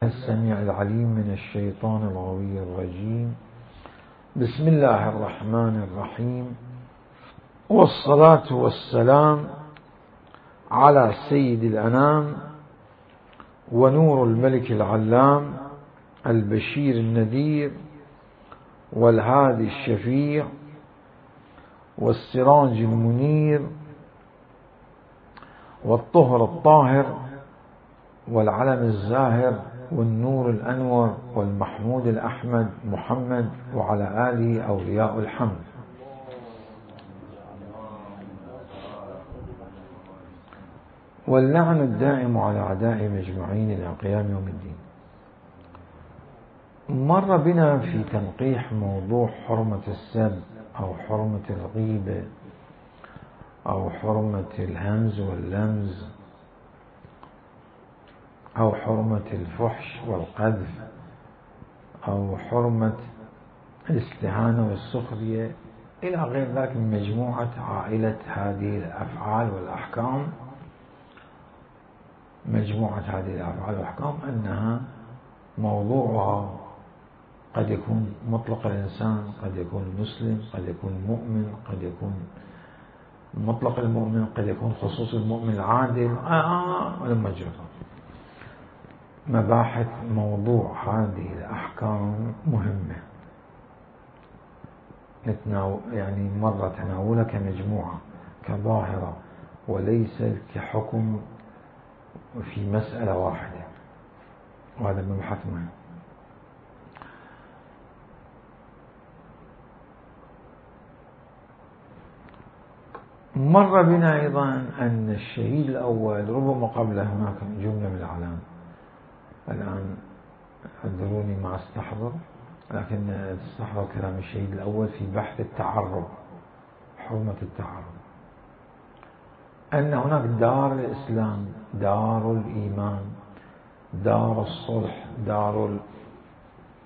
السميع العليم من الشيطان الغوي الرجيم. بسم الله الرحمن الرحيم، والصلاة والسلام على سيد الأنام ونور الملك العلام البشير النذير والهادي الشفيع والسراج المنير والطهر الطاهر والعلم الزاهر والنور الأنور والمحمود الأحمد محمد وعلى آله أولياء الحمد. واللعن الدائم على أعدائهم أجمعين إلى قيام يوم الدين. مر بنا في تنقيح موضوع حرمة السب أو حرمة الغيبة أو حرمة الهمز واللمز أو حرمة الفحش والقذف أو حرمة الاستهانة والسخرية إلى غير ذلك من مجموعة عائلة هذه الأفعال والأحكام. مجموعة هذه الأفعال والأحكام أنها موضوعها قد يكون مطلق الإنسان، قد يكون مسلم، قد يكون مؤمن، قد يكون مطلق المؤمن، قد يكون خصوص المؤمن العادل ولما جرى مباحث موضوع هذه الأحكام مهمة، يعني مرة تناولها كمجموعة كظاهرة وليس كحكم في مسألة واحدة، وهذا مبحث مهم. مر بنا أيضا أن الشهيد الأول ربما قبل هناك جملة من الأعلام، الآن أدروني ما استحضر، لكن استحضر كلام الشهيد الأول في بحث التعرض، حرمة التعرض، أن هناك دار الإسلام، دار الإيمان، دار الصلح، دار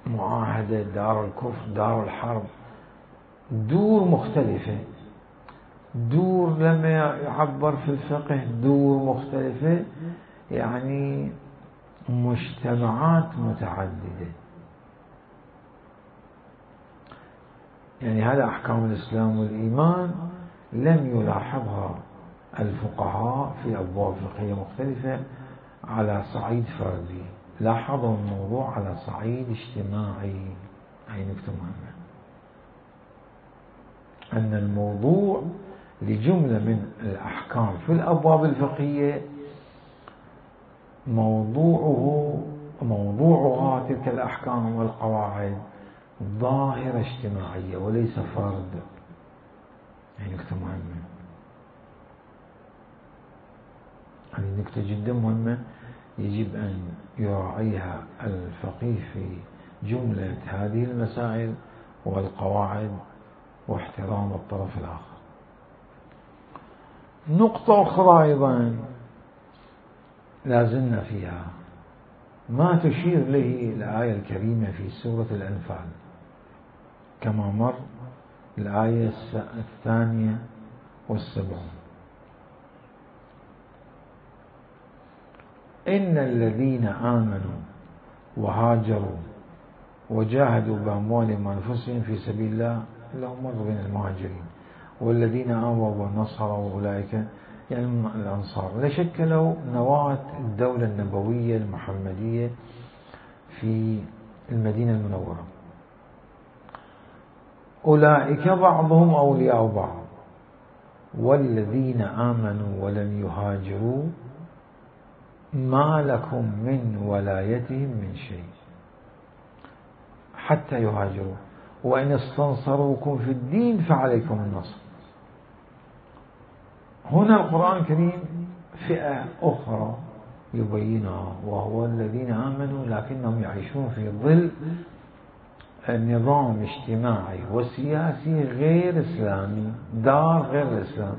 المعاهدة، دار الكفر، دار الحرب، دور مختلفة، دور لما يعبر في الفقه دور مختلفة، يعني مجتمعات متعددة. يعني هذا أحكام الإسلام والإيمان لم يلاحظها الفقهاء في أبواب فقهية مختلفة على صعيد فردي، لاحظوا الموضوع على صعيد اجتماعي. هي نكتة مهمة، أن الموضوع لجملة من الأحكام في الأبواب الفقهية موضوعها تلك الأحكام والقواعد ظاهرة اجتماعية وليس فرد. هي نكتة مهمة، هذه نكتة جدا مهمة يجب أن يراعيها الفقيه في جملة هذه المسائل والقواعد واحترام الطرف الآخر. نقطة أخرى أيضا لازلنا فيها ما تشير إليه الآية الكريمة في سورة الأنفال كما مر الآية 72. إن الذين آمنوا وهاجروا وجاهدوا بأموالهم وأنفسهم في سبيل الله لهم مر بين المهاجرين، والذين آووا ونصروا أولئك يعني الأنصار لشكلوا نواة الدولة النبوية المحمدية في المدينة المنورة. أولئك بعضهم أولياء بعض والذين آمنوا ولم يهاجروا ما لكم من ولايتهم من شيء حتى يهاجروا وإن استنصروكم في الدين فعليكم النصر. هنا القرآن الكريم فئة أخرى يبينها، وهو الذين آمنوا لكنهم يعيشون في ظل نظام اجتماعي وسياسي غير إسلامي، دار غير الإسلام.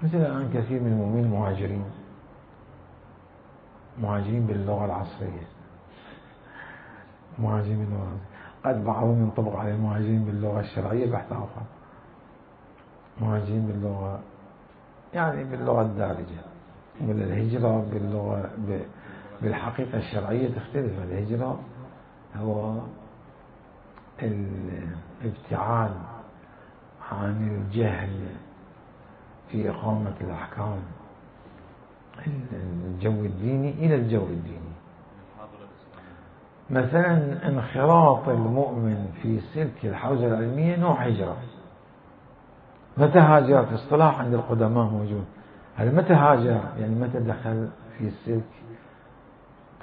مثل الآن كثير من المؤمنين مهاجرين باللغة العصرية، مهاجرين باللغة، قد بعضهم ينطبق على المهاجرين باللغة الشرعية بحث آخر، مهاجرين باللغة يعني باللغة الدارجة. ولا الهجرة باللغة بالحقيقة الشرعية تختلف. الهجرة هو الابتعاد عن الجهل في إقامة الأحكام، الجو الديني إلى الجو الديني. مثلا انخراط المؤمن في سلك الحوزة العلمية نوع هجرة. متى هاجر؟ في اصطلاح عند القدماء موجود. هل متى هاجر؟ يعني متى دخل في سلك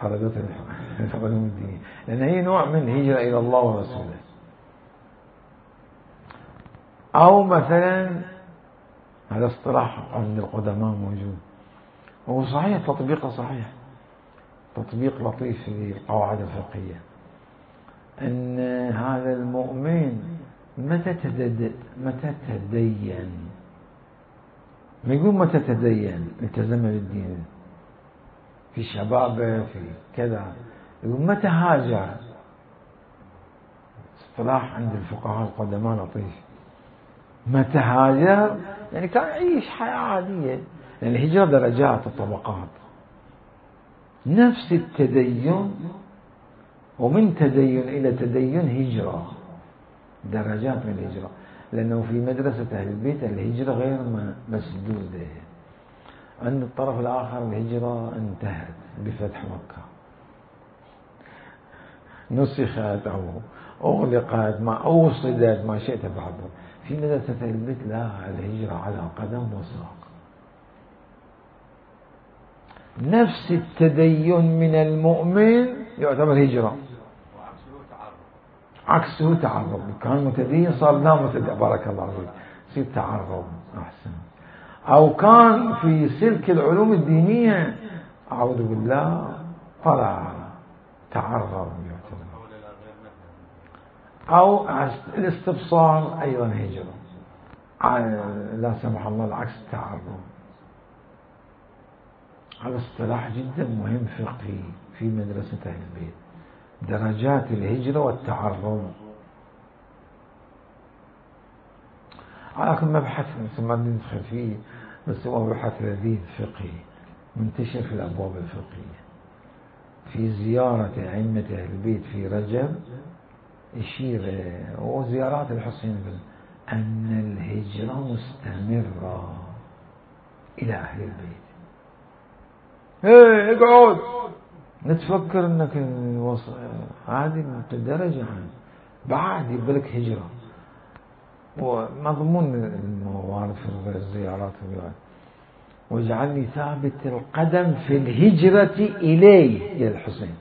طلبة العلوم الدينية، لأن هي نوع من هجرة إلى الله ورسوله. أو مثلا هذا اصطلاح عند القدماء موجود، وهو صحيح تطبيقه صحيح، تطبيق لطيف للقواعد الفقهية، أن هذا المؤمن متى تدين، ما يقول متى تدين التزم بالدين في شبابه في كذا، يقول متى هاجر. اصطلاح عند الفقهاء القدماء لطيف. متى هاجر يعني كان يعيش حياة عادية، لأن الهجرة درجات وطبقات. نفس التدين، ومن تدين إلى تدين هجرة، درجات من الهجرة، لأنه في مدرسة أهل البيت الهجرة غير مسدودة. عند الطرف الآخر الهجرة انتهت بفتح مكة، نسخت أو أغلقت، ما أوصدت، ما شئت بعده. في مدرسة أهل البيت لا، الهجرة على قدم وساق. نفس التدين من المؤمن يعتبر هجرة، عكسه تعرض. كان متدين صار لا متدين، بارك الله فيك، يصير تعرض أحسن. أو كان في سلك العلوم الدينية أعوذ بالله طلع تعرض يعتبر. أو الاستبصار أيضا هجرة، لا سمح الله العكس تعرض. هذا اصطلاح جدا مهم فقهي في مدرسة أهل البيت، درجات الهجرة والتعرض. على كل مبحث ما ندخل فيه، بس هو مبحث لذيذ فقهي منتشر في الأبواب الفقهية. في زيارة أئمة أهل البيت في رجب يشير، وزيارات الحسين، أن الهجرة مستمرة إلى أهل البيت. ايه اقعد، نتفكر انك هذه درجة بعد يبلك هجرة. ومضمون الموارد في الزيارات واجعلني ثابت القدم في الهجرة إليه إلى الحسين.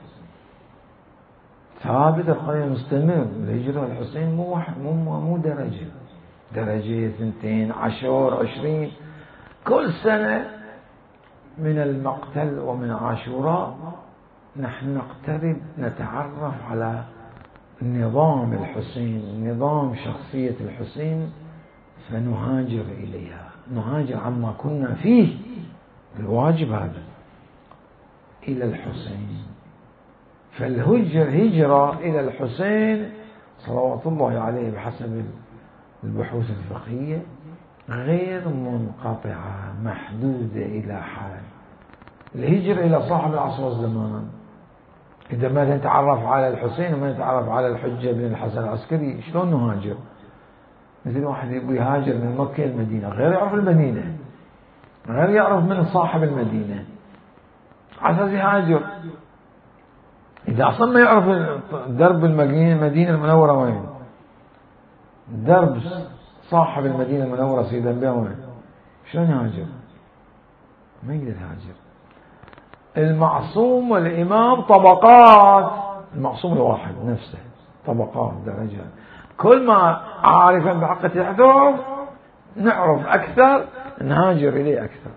ثابت القدم مستمر. الهجرة الحسين مو درجة 2 10 20. كل سنة من المقتل ومن عاشوراء نحن نقترب نتعرف على نظام الحسين، نظام شخصية الحسين، فنهاجر إليها، نهاجر عما كنا فيه، الواجب هذا إلى الحسين. فالهجرة إلى الحسين صلوات الله عليه بحسب البحوث الفقهية غير منقطعة، محدودة إلى حال. الهجرة إلى صاحب العصر والزمان، إذا ما نتعرف على الحسين وما نتعرف على الحجة بن الحسن العسكري شلون نهاجر؟ مثل واحد يبغى يهاجر من مكة المدينة، غير يعرف المدينة، غير يعرف من صاحب المدينة، على أساس يهاجر. إذا أصلا ما يعرف درب المدينة المنورة وين، درب صاحب المدينة المنورة سيدنا بها وين، شلون يهاجر؟ ما يقدر يهاجر. المعصوم والإمام طبقات، المعصوم الواحد نفسه طبقات درجات. كل ما عارفا بحق تحته نعرف أكثر نهاجر إليه أكثر،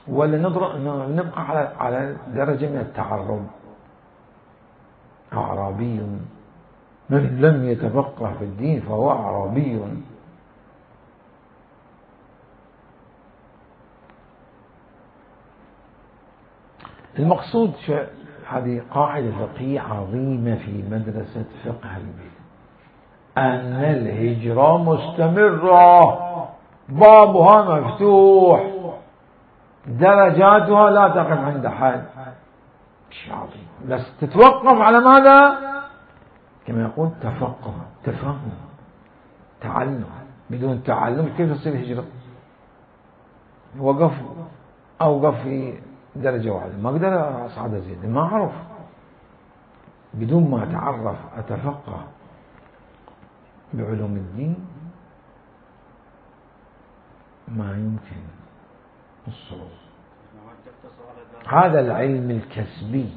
ولا نبقى على درجة من التعرض. أعرابي من لم يتفقه في الدين فهو أعرابي. المقصود هذه قاعدة فقهية عظيمة في مدرسة فقه البيت، أن الهجرة مستمرة، بابها مفتوح، درجاتها لا تقف عند حد شيء عظيم، بس تتوقف على ماذا؟ كما يقول تفقه، تفهم، تعلم. بدون تعلم كيف تصير هجرة؟ أوقف في درجة واحدة، ما أقدر أصعد أزيد، ما أعرف. بدون ما أتعرف أتفقه بعلوم الدين ما يمكن الصعود. هذا العلم الكسبي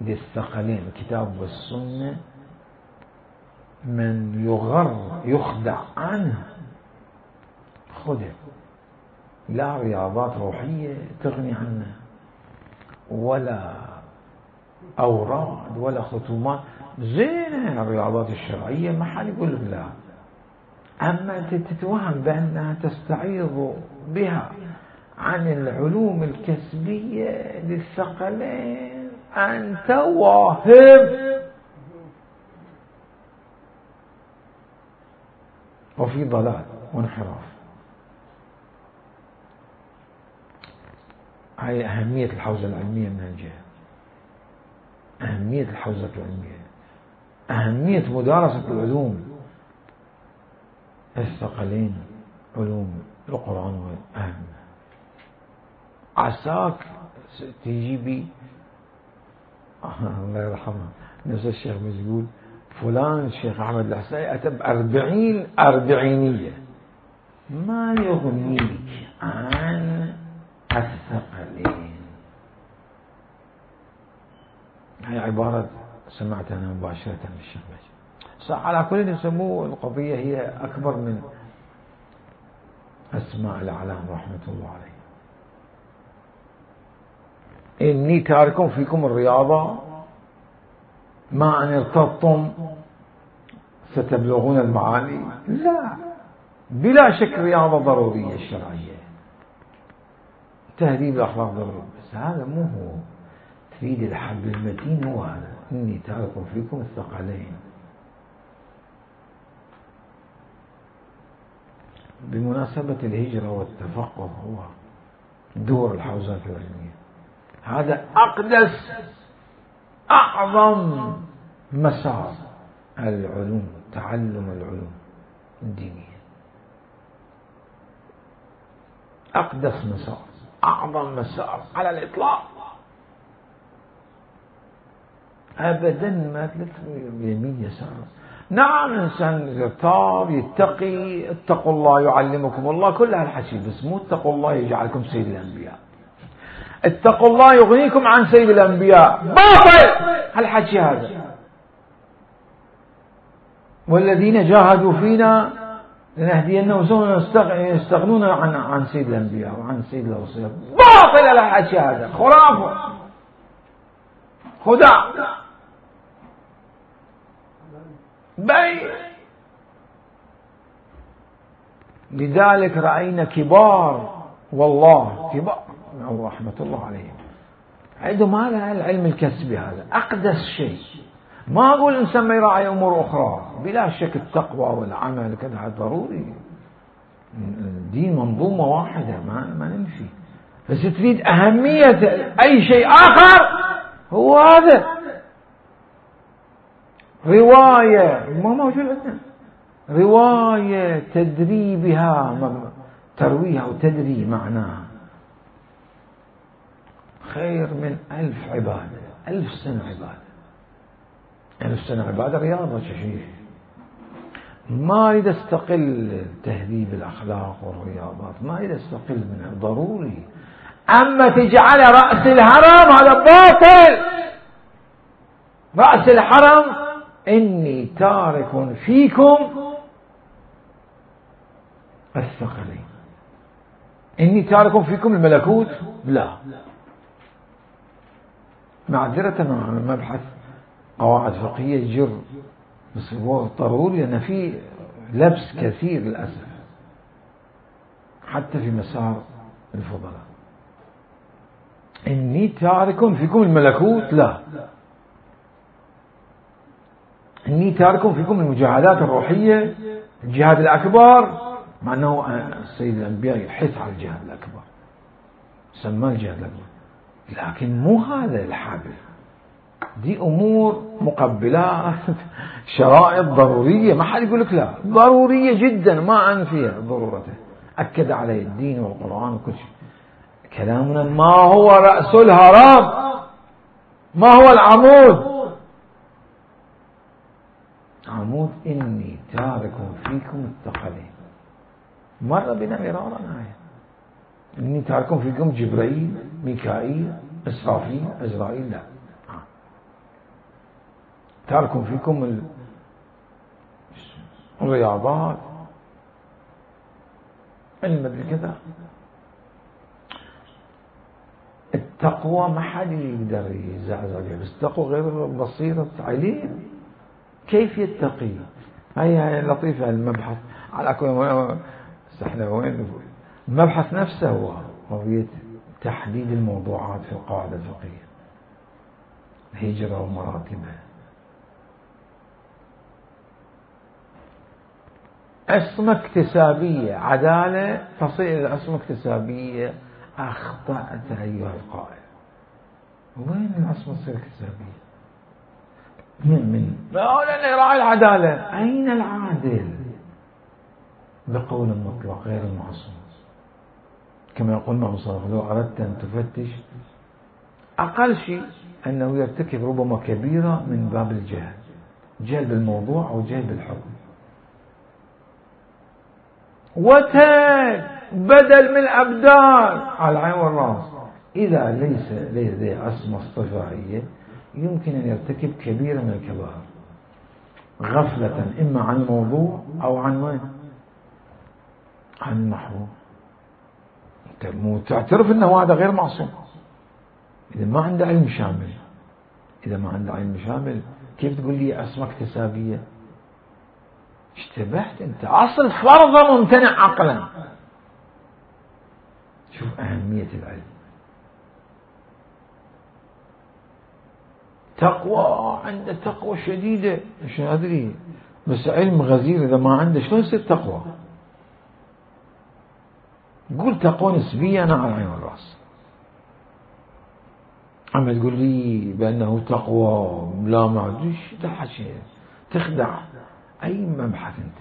للثقلين الكتاب والسنة، من يخدع عنه خدع. لا رياضات روحية تغني عنه، ولا أوراد ولا ختومات. زين الرياضات الشرعية ما حد يقول لك لا، أما تتوهم بأنها تستعيض بها عن العلوم الكسبية للثقلين، أنت واهم وفي ضلال وانحراف. هاي أهمية الحوزة العلمية من الجهة، أهمية الحوزة العلمية، أهمية مدارسة العلوم الثقلين، علوم القرآن أهم. عساك تجي بي الله يرحمه نفس الشيخ يقول فلان الشيخ أحمد الحسيني أتى ب40 أربعينية، ما يغنيك عن الثقلين. هي عبارة سمعتها أنا مباشرة من الشيخ مجيد. على كل يسموه القضية هي أكبر من أسماء الأعلام رحمة الله عليه. إني تارك فيكم الرياضة ما أن ارتضتم ستبلغون المعالي. لا، بلا شك رياضة ضرورية الشرعية، تهذيب الأخلاق ضروري، بس هذا مو هو. تريد الحبل المتين هو هذا، إني تارك فيكم الثقلين. بمناسبة الهجرة والتفقه هو دور الحوزات العلمية، هذا أقدس أعظم مسار العلوم، تعلم العلوم الدينية، أقدس مسار، أعظم مسار على الإطلاق. أبدا ما يمين يسار. نعم الإنسان يرتاض يتقي، اتقوا الله يعلمكم الله، كل هالحكي، بس مو اتقوا الله يجعلكم سيد الأنبياء، اتقوا الله يغنيكم عن سيد الأنبياء، باطل هالحكي هذا. والذين جاهدوا فينا لنهدينهم سبلنا يستغنون عن سيد الأنبياء وعن سيد الرسل، باطل هالحكي هذا، خرافة، خداع، بي. لذلك رأينا كبار، والله كبار رحمة الله عليهم، عندهم هذا العلم الكسبي، هذا أقدس شيء. ما أقول الإنسان ما يراعي أمور أخرى، بلا شك التقوى والعمل كذا ضروري، الدين منظومة واحدة ما نمشي، بس تريد أهمية أي شيء آخر هو هذا. رواية ما موجود عندنا، رواية تدري بها، ترويها وتدري معناها خير من 1000 عبادة، 1000 سنة عبادة. 1000 سنة عبادة رياضة شيء. ما أريد أستقل تهذيب الأخلاق والرياضات، ما أريد أستقل منها، ضروري. أما تجعل رأس الهرم هذا باطل. رأس الحرم إني تارك فيكم الثقلين، إني تارك فيكم الملكوت، لا، معذرة مع مبحث قواعد فقهية يجر، بس هو ضروري لأن في لبس كثير للأسف حتى في مسار الفضلاء. إني تارك فيكم الملكوت، لا، إني تارك فيكم المجاهدات الروحية، الجهاد الأكبر، مع أنه سيد الأنبياء يحث على الجهاد الأكبر، سمى الجهاد الأكبر، لكن مو هذا الحل. دي أمور مقبلات شرائط ضرورية، ما حد يقول لك لا، ضرورية جدا ما أنفيها ضرورته، أكد عليه الدين والقرآن وكل شيء. كلامنا ما هو رأس الهرم، ما هو العمود. عمود إني تارك فيكم الثقلين، مر بنا مرارا آية، إني تارك فيكم جبريل ميكائيل إسرافيل إزرائيل، لا، تارك فيكم الرياضات المدري كذا. التقوى ما حد يقدر يزعزع بها، بس التقوى غير بصيرة عليم كيف يتقي. هي لطيفة المبحث على كل احنا وين المبحث نفسه هو قضية تحديد الموضوعات في القاعدة الفقهية، الهجرة ومراتبها. عصمة اكتسابية، عدالة تصل إلى عصمة اكتسابية. أخطأت أيها القائل، وين العصمة تصير اكتسابية؟ من لا يراعي العدالة. أين العادل؟ بقول مطلق غير المعصوم، كما يقول الإمام صادق: لو أردت أن تفتش أقل شيء أنه يرتكب ربما كبيرة من باب الجهل، جهل بالموضوع أو جهل بالحكم، بدل من الأبدال على العين والرأس. إذا ليس لديه عصمة اصطفائية يمكن أن يرتكب كبيرة من الكبائر غفلة، إما عن الموضوع أو عن وين؟ عن النحو. تعترف أنه هذا غير معصوم إذا ما عنده علم شامل. إذا ما عنده علم شامل كيف تقول لي عصمة اكتسابية؟ اشتبهت أنت. أصل فرض ممتنع عقلا. شوف أهمية العلم. تقوى، عنده تقوى شديدة، مش أدري، بس علم غزير إذا ما عنده شلون يصير تقوى؟ قول تقوى نسبية أنا على العين والرأس، أما تقول لي بأنه تقوى لا ما أدريش، تحكي تخدع. أي مبحث أنت؟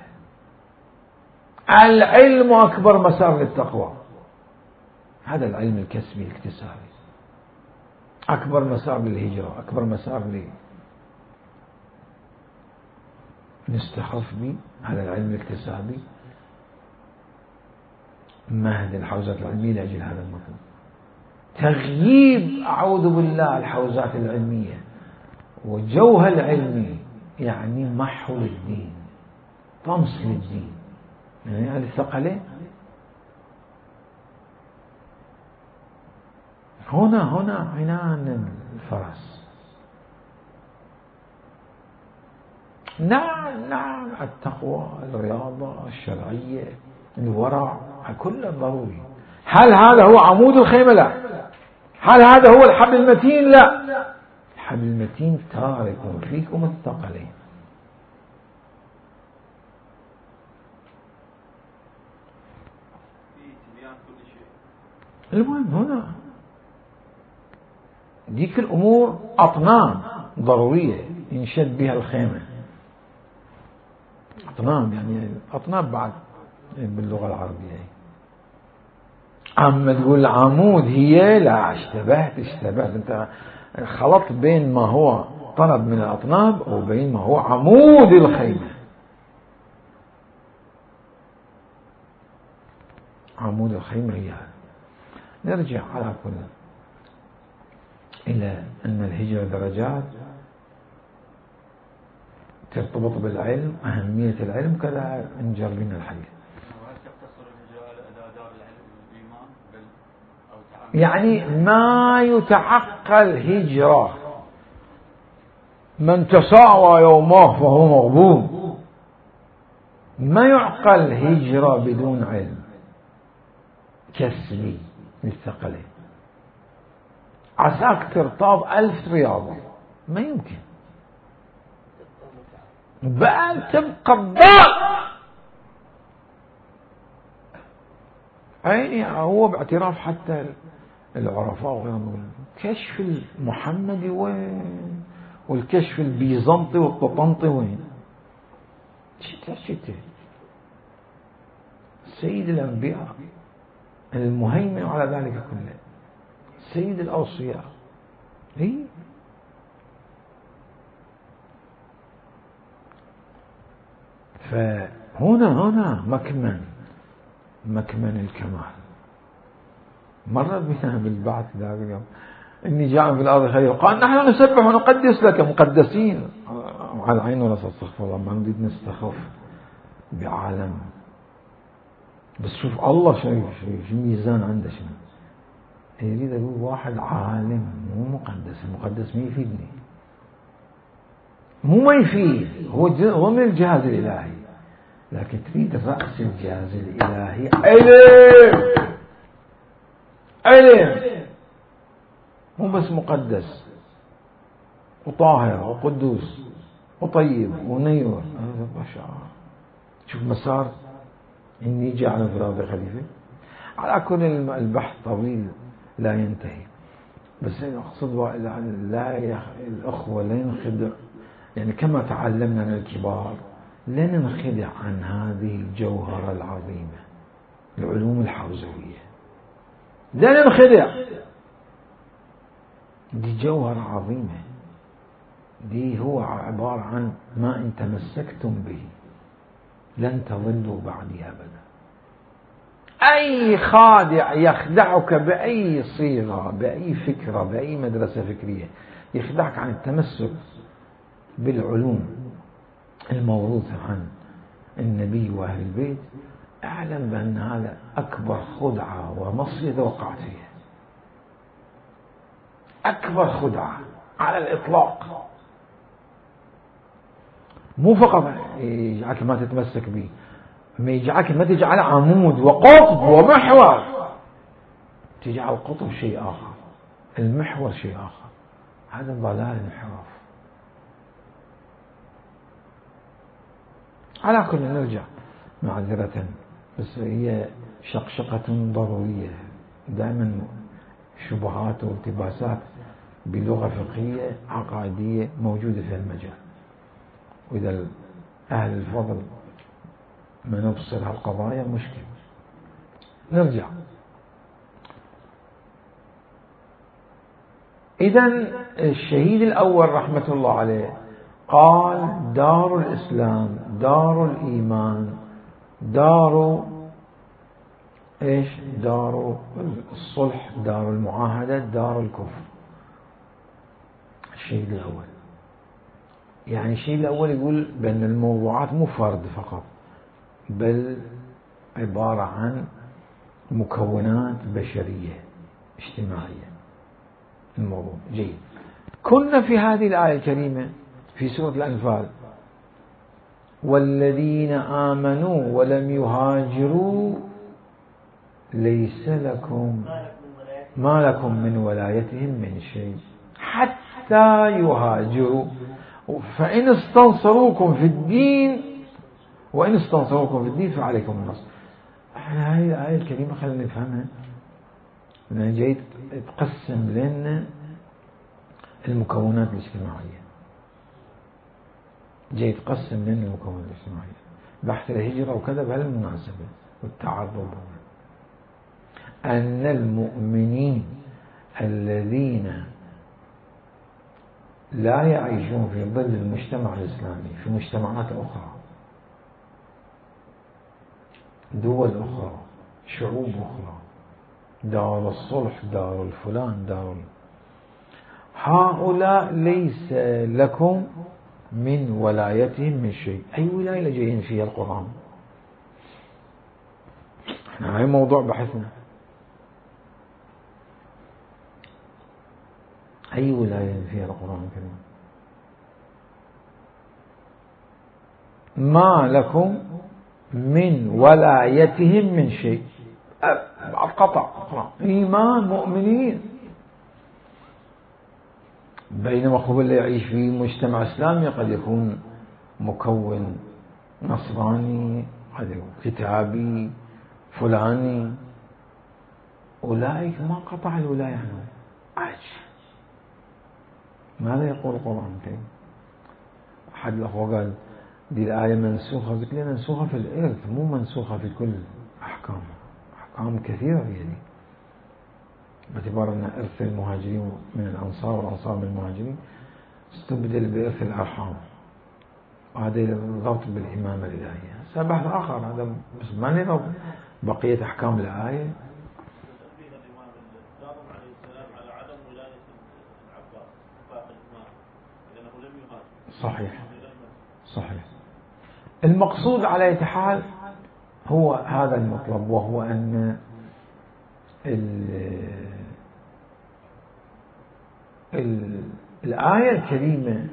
العلم أكبر مسار للتقوى، هذا العلم الكسبي الاكتسابي أكبر مسار للهجرة، أكبر مسار نستخف به. هذا العلم الاكتسابي مهد الحوزات العلمية لأجل هذا المطلوب. تغييب أعوذ بالله الحوزات العلمية وجوها العلمي يعني محو للدين، طمس للدين، يعني هذه الثقلين. هنا عنان الفرس. نعم التقوى، الرياضة الشرعية، الورع، كله ضروري. هل هذا هو عمود الخيمة؟ لا. هل هذا هو الحبل المتين؟ لا. الحبل المتين تارك فيكم الثقلين. المهم هنا ديك الأمور أطناب ضرورية ينشد بها الخيمة. أطناب يعني أطناب بعد باللغة العربية. أما تقول العمود هي، لا، اشتبهت أنت خلطت بين ما هو طلب من الأطناب وبين ما هو عمود الخيمة. عمود الخيمة هي هذا. نرجع على كل إلى أن الهجرة درجات ترتبط بالعلم، أهمية العلم، كذا نجر بنا الحديث. يعني ما يتعقل هجرة، من تساوى يومه فهو مغبون. ما يعقل هجرة بدون علم كسبي للثقلين. عساك ترتاض 1000 رياضة، ما يمكن، بل تبقى الضال. عيني هو باعتراف حتى العرفاء وغيرهم، كشف المحمدي وين؟ والكشف البيزنطي والططنطي وين؟ شتى سيد الأنبياء المهيمن على ذلك كله، سيد الأوصياء. فهنا مكمن الكمال. مرت بنا بالبعث ذاك اليوم إني جاء في الأرض خليل، قال نحن نسبح ونقدس لك، مقدسين على العين ولا استغفر الله، ما نريد نستخف بعالم. بس شوف الله شو ميزان عنده، شنو يريد أقول؟ واحد عالم مو مقدس، المقدس ما يفيدني، مو ما يفيد، هو من الجهاز الإلهي، لكن تريد رأس الجهاز الإلهي علم، مو بس مقدس وطاهر وقدوس وطيب ونير. شوف مسار إني جعل في الأرض خليفة. على كل البحث طويل لا ينتهي، بس أقصد الأخوة لا ينخدع، يعني كما تعلمنا من الكبار لا ننخدع عن هذه الجوهرة العظيمة، العلوم الحوزوية، لا ننخدع. دي جوهرة عظيمة، دي هو عبارة عن ما إن تمسكتم به لن تضلوا بعدي أبدا. أي خادع يخدعك بأي صيغة، بأي فكرة، بأي مدرسة فكرية، يخدعك عن التمسك بالعلوم الموروثة عن النبي وأهل البيت، أعلم بأن هذا أكبر خدعة ومصيدة وقعت فيها، أكبر خدعة على الإطلاق. مو فقط يجعلك ما تتمسك به، ما يجعلك ما تجعل عمود وقطب ومحور، تجعل القطب شيء آخر، المحور شيء آخر. هذا ضلال انحراف. على كل نرجع معذرة، بس هي شقشقة ضرورية. دائما شبهات والتباسات بلغة فقهية عقائدية موجودة في المجال، وإذا أهل الفضل ما نبصر هالقضايا مشكلة. نرجع. إذن الشهيد الأول رحمة الله عليه قال دار الإسلام، دار الإيمان، دار إيش؟ دار الصلح، دار المعاهدة، دار الكفر. الشهيد الأول يعني الشهيد الأول يقول بأن الموضوعات مو فرد فقط، بل عبارة عن مكونات بشرية اجتماعية. الموضوع جيد. كنا في هذه الآية الكريمة في سورة الأنفال: والذين آمنوا ولم يهاجروا ليس لكم ما لكم من ولايتهم من شيء حتى يهاجروا فإن استنصروكم في الدين وإن استنصروكم في الدين فعليكم النصر. احنا هذه الآية الكريمة خلينا نفهمها. أنا جيت تقسم لنا المكونات الاجتماعية، جاي تقسم لنا المكونات الاجتماعية، بحث الهجرة وكذا بهالمناسبة والتعرض، أن المؤمنين الذين لا يعيشون في ظل المجتمع الإسلامي في مجتمعات أخرى، دول أخرى، شعوب أخرى، دار الصلح، دار الفلان، دار هؤلاء ليس لكم من ولايتهم من شيء. أي ولاية جايين فيها القرآن؟ احنا هاي موضوع بحثنا. أي ولاية فيها القرآن الكريم؟ ما لكم من ولايتهم من شيء. قطع إيمان مؤمنين. بينما هو اللي يعيش في مجتمع إسلامي قد يكون مكون نصراني، قد يكون كتابي فلاني، أولئك ما قطع الولاية عنهم. ماذا يقول القرآن الكريم؟ أحد الأخوة قال دي الآية منسوخة، قلت لي منسوخة في الإرث مو منسوخة في كل أحكام. أحكام كثيرة في ذلك، باعتبار أن إرث المهاجرين من الأنصار والأنصار من المهاجرين استبدل بإرث الأرحام، وهذا الضبط بالإمامة الإلهية. بحث آخر هذا، بس ما نضرب بقية أحكام الآية. صحيح صحيح. المقصود على أي حال هو هذا المطلب، وهو أن الآية الكريمة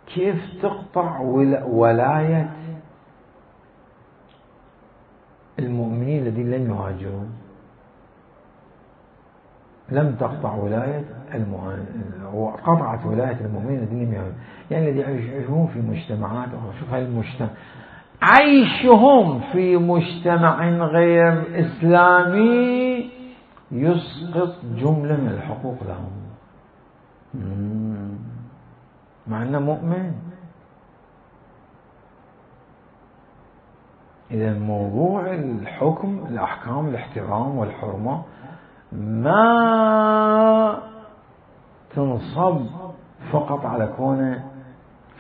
كيف تقطع ولاية المؤمنين الذين لم يهاجرون. لم تقطع ولاية وقطعت ولاية المؤمنين الذين لم يهاجرون، يعني الذين يعيشون في مجتمعات أخرى. شوف هاي المجتمع، عيشهم في مجتمع غير إسلامي يسقط جملة من الحقوق لهم مع أنه مؤمن. إذا موضوع الحكم، الأحكام، الاحترام والحرمة ما تنصب فقط على كونه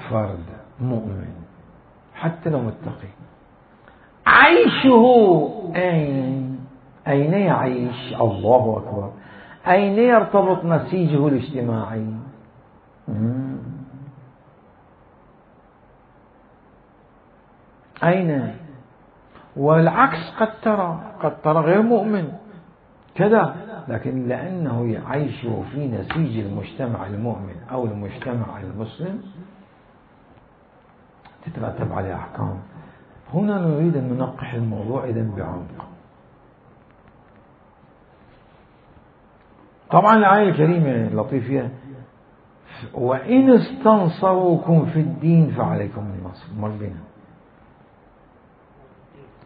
فرد مؤمن حتى لو متقي. عيشه أين يعيش؟ الله أكبر. أين يرتبط نسيجه الاجتماعي؟ أين؟ والعكس قد ترى غير مؤمن كذا، لكن لأنه يعيش في نسيج المجتمع المؤمن أو المجتمع المسلم تترتب عليه أحكام. هنا نريد أن ننقح الموضوع إذن بعمق. طبعا الآية الكريمة لطيفة، وإن استنصروكم في الدين فعليكم النصر. مر بنا،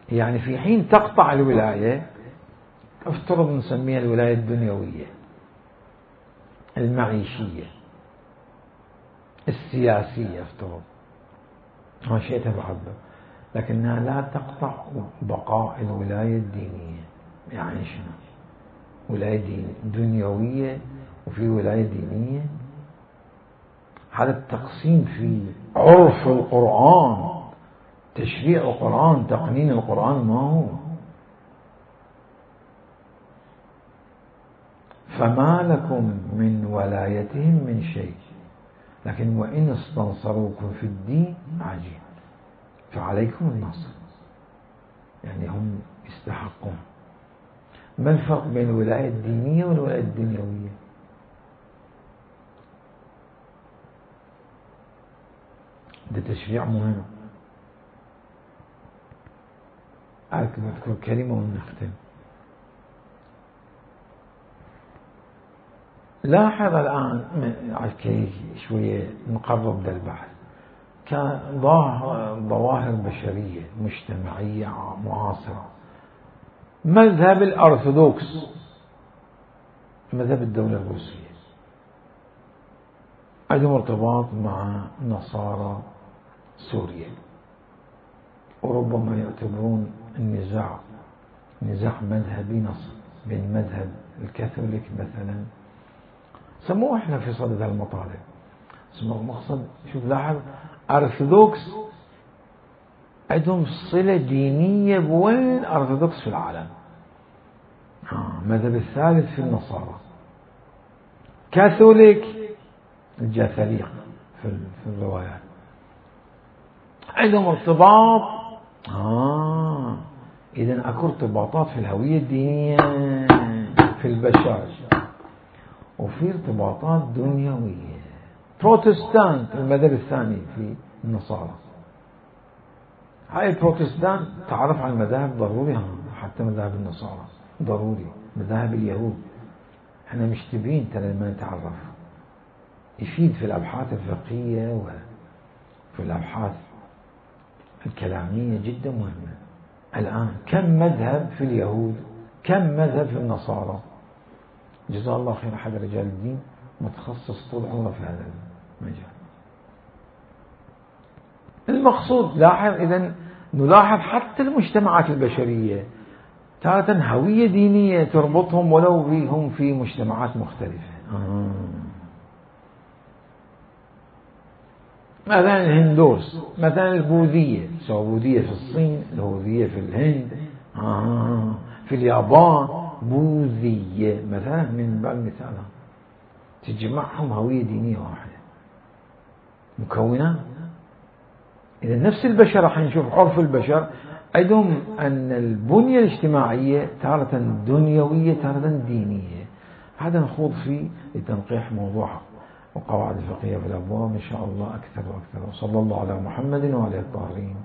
يعني في حين تقطع الولاية، افترض نسميها الولاية الدنيوية المعيشية السياسية، افترض ما شئت بعده، لكنها لا تقطع بقاء الولاية الدينية. يعني شنو؟ ولاية دنيوية وفي ولاية دينية. هذا التقسيم في عرف القرآن، تشريع القرآن، تقنين القرآن ما هو. فما لكم من ولايتهم من شيء، لكن وإن استنصروكم في الدين عجيب فعليكم النصر، يعني هم يستحقون. ما الفرق بين الولاية الدينية والولاية الدنيوية؟ ده تشريع مهم. أذكر كلمة ونختم. لاحظ الآن شوية نقرب ده البحث، كظواهر بشرية مجتمعية معاصرة. مذهب الأرثوذكس، مذهب الدولة الروسية، عندهم ارتباط مع نصارى سوريا، وربما يعتبرون النزاع نزاع مذهبي نص بين مذهب الكاثوليك مثلا، سموه احنا في صدد المطالب سموه مقصد. شوف لاحظ، أرثوذكس عندهم صلة دينية بوين أرثوذكس في العالم. مذهب الثالث في النصارى، كاثوليك الجاثليق في الروايات، عندهم ارتباط. إذن أكو ارتباطات في الهوية الدينية في البشر، وفي ارتباطات دنيوية. بروتستانت المذهب الثاني في النصارى، هاي البروتستانت تعرف على المذاهب ضروري، حتى مذاهب النصارى ضروري، مذاهب اليهود احنا مشتبين ترى لما نتعرف، يفيد في الأبحاث الفقهية وفي الأبحاث الكلامية جدا مهمة. الآن كم مذهب في اليهود، كم مذهب في النصارى؟ جزاه الله خير أحد رجال الدين متخصص طول عمره في هذا المجال. المقصود لاحظ إذن نلاحظ حتى المجتمعات البشرية تارة هوية دينية تربطهم ولو بهم في مجتمعات مختلفة. مثلا الهندوس، مثلا البوذية، سواء بوذية في الصين، البوذية في الهند، في اليابان بوذية مثلا من بعض المثال، تجمعهم هوية دينية واحدة مكونات. إذا نفس البشر راح نشوف عرف البشر عندهم أن البنية الاجتماعية تارة دنيوية تارة دينية. هذا نخوض فيه لتنقيح موضوع وقواعد الفقهية في الأبواب إن شاء الله أكثر وأكثر. وصلى الله على محمد وعلى الطاهرين.